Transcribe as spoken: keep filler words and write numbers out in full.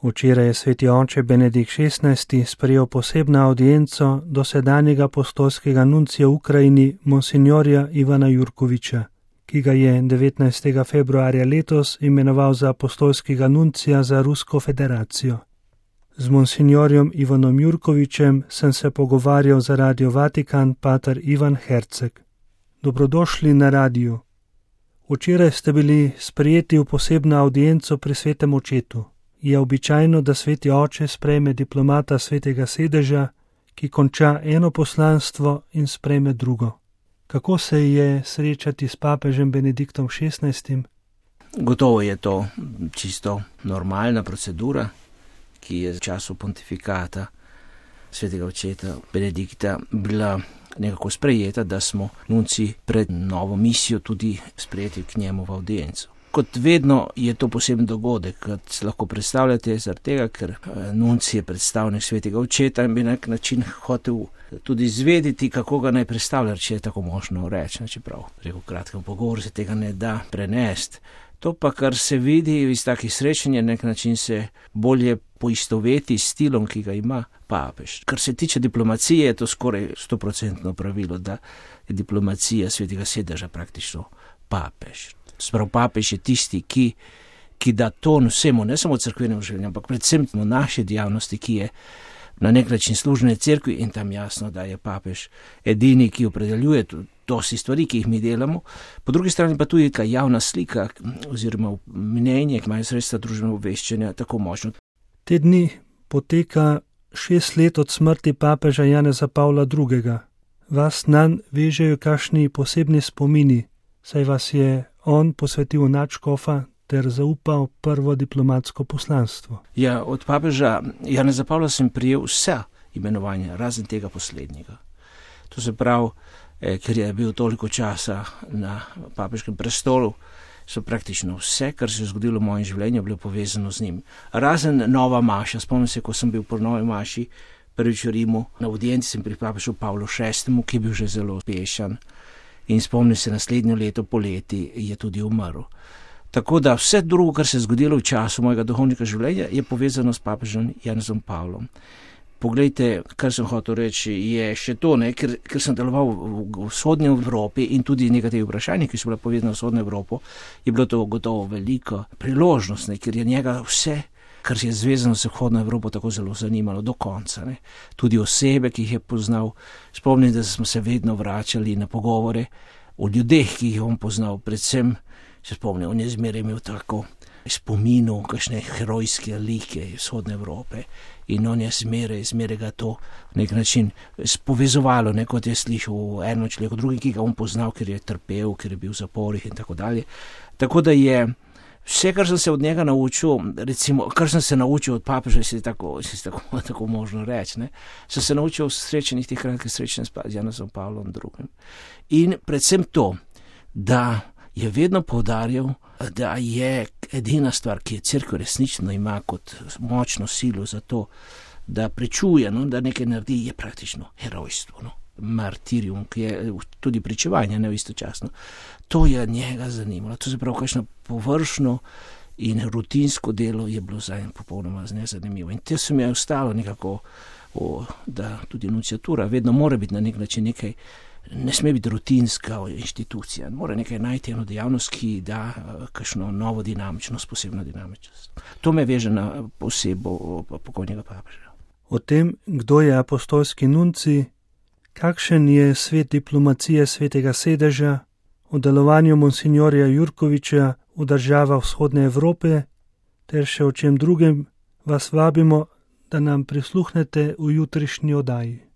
Včeraj je sveti oče Benedikt šestnajsti sprejel posebno avdienco dosedanjega apostolskega nuncija v Ukrajini monsignorja Ivana Jurkoviča, ki ga je devetnajstega februarja letos imenoval za apostolskega nuncija za Rusko federacijo. Z monsignorjem Ivanom Jurkovičem sem se pogovarjal za Radio Vatikan pater Ivan Herceg. Dobrodošli na radiju. Včeraj ste bili sprejeti v posebno avdienco pri svetem očetu. Je običajno, da sveti oče sprejme diplomata svetega sedeža, ki konča eno poslanstvo in sprejme drugo. Kako se je srečati s papežem Benediktom šestnajstim? Gotovo je to čisto normalna procedura, ki je v času pontifikata svetega očeta Benedikta bila nekako sprejeta, da smo nunci pred novo misijo tudi sprejeti k njemu v audienco. Kot vedno je to poseben dogodek, kot se lahko predstavljate, zaradi tega, ker nunci je predstavnik svetega očeta in bi na nek način hotel tudi izvedeti, kako ga naj predstavlja, če je tako možno reči, čeprav preko kratkem pogovoru se tega ne da prenesti. To pa, kar se vidi iz takih srečanj, na nek način se bolje poistoveti s stilom, ki ga ima papež. Kar se tiče diplomacije, je to skoraj stoprocentno pravilo, da je diplomacija svetega sedeža praktično papež. Sprav papež je tisti, ki, ki da ton vsemu, ne samo cerkvenemu življenju, ampak predvsem v naši dejavnosti, ki je na nek način služne cerkvi, in tam jasno, da je papež edini, ki opredeljuje dosti stvari, ki jih mi delamo. Po drugi strani pa tudi ta javna slika oziroma mnenje, ki imajo sredstva družbenega obveščanja, tako močno. Te dni poteka šest let od smrti papeža Janeza Pavla drugega. Vas nanj vežejo kakšni posebni spomini, saj vas je on posvetil v nadškofa ter zaupal prvo diplomatsko poslanstvo. Ja, od papeža Janeza Pavla sem prijel vse imenovanja, razen tega poslednjega. To se pravi, eh, ker je bil toliko časa na papežkem prestolu, so praktično vse, kar se je zgodilo v mojem življenju, bilo povezano z njim. Razen nova maša, spomnim se, ko sem bil po novi maši prvič v Rimu, na audienci sem pri papežu Pavlu šestemu, ki je bil že zelo uspešen, in spomnim se, naslednjo leto poleti je tudi umrl. Tako da vse drugo, kar se je zgodilo v času mojega duhovnega življenja, je povezano s papežem Janezom Pavlom. Poglejte, kar sem hotel reči, je še to, ne, ker, ker sem deloval v, v vzhodnji Evropi in tudi nekaterih vprašanj, ki so bila povezana v vzhodno Evropo, je bilo to gotovo veliko priložnost, ne, ker je njega vse, kar je zvezano s vzhodno Evropo, tako zelo zanimalo do konca. Ne. Tudi osebe, ki jih je poznal, spomnim, da smo se vedno vračali na pogovore o ljudeh, ki jih je on poznal, predvsem se spomnim, on je zmeraj imel tako spominu, kakšne herojske like vzhodne Evrope, in on je zmeraj, zmeraj ga to v nek način povezovalo, ne, kot je slišal eno človeko, drugi, ki ga on poznal, ker je trpel, ker je bil v zaporih in tako dalje. Tako da je vse, kar sem se od njega naučil, recimo, kar sem se naučil od papeža, si tako, si tako, tako možno reči, ne, sem se naučil v srečanjih, teh kratkih srečanj z Janezom Pavlom drugim. In predvsem to, da je vedno poudarjal, da je edina stvar, ki je cerkev resnično ima kot močno silo za to, da prečuje, no, da nekaj naredi, je praktično herojstvo, no, martirium, ki je tudi pričevanje, ne, istočasno. To je njega zanimalo. To se pravi, kakšno površno in rutinsko delo je bilo za en popolnoma nezanimivo. In te se mi je ostalo nekako, o, da tudi nunciatura vedno mora biti na nek način nekaj, ne sme biti rutinska inštitucija, mora nekaj najti eno dejavnost, ki da kakšno novo dinamičnost, posebno dinamičnost. To me veže na posebo pokojnega papeža. O tem, kdo je apostolski nunci, kakšen je svet diplomacije svetega sedeža, o delovanju monsignorja Jurkoviča v državah vzhodne Evrope, ter še o čem drugem vas vabimo, da nam prisluhnete v jutrišnji oddaji.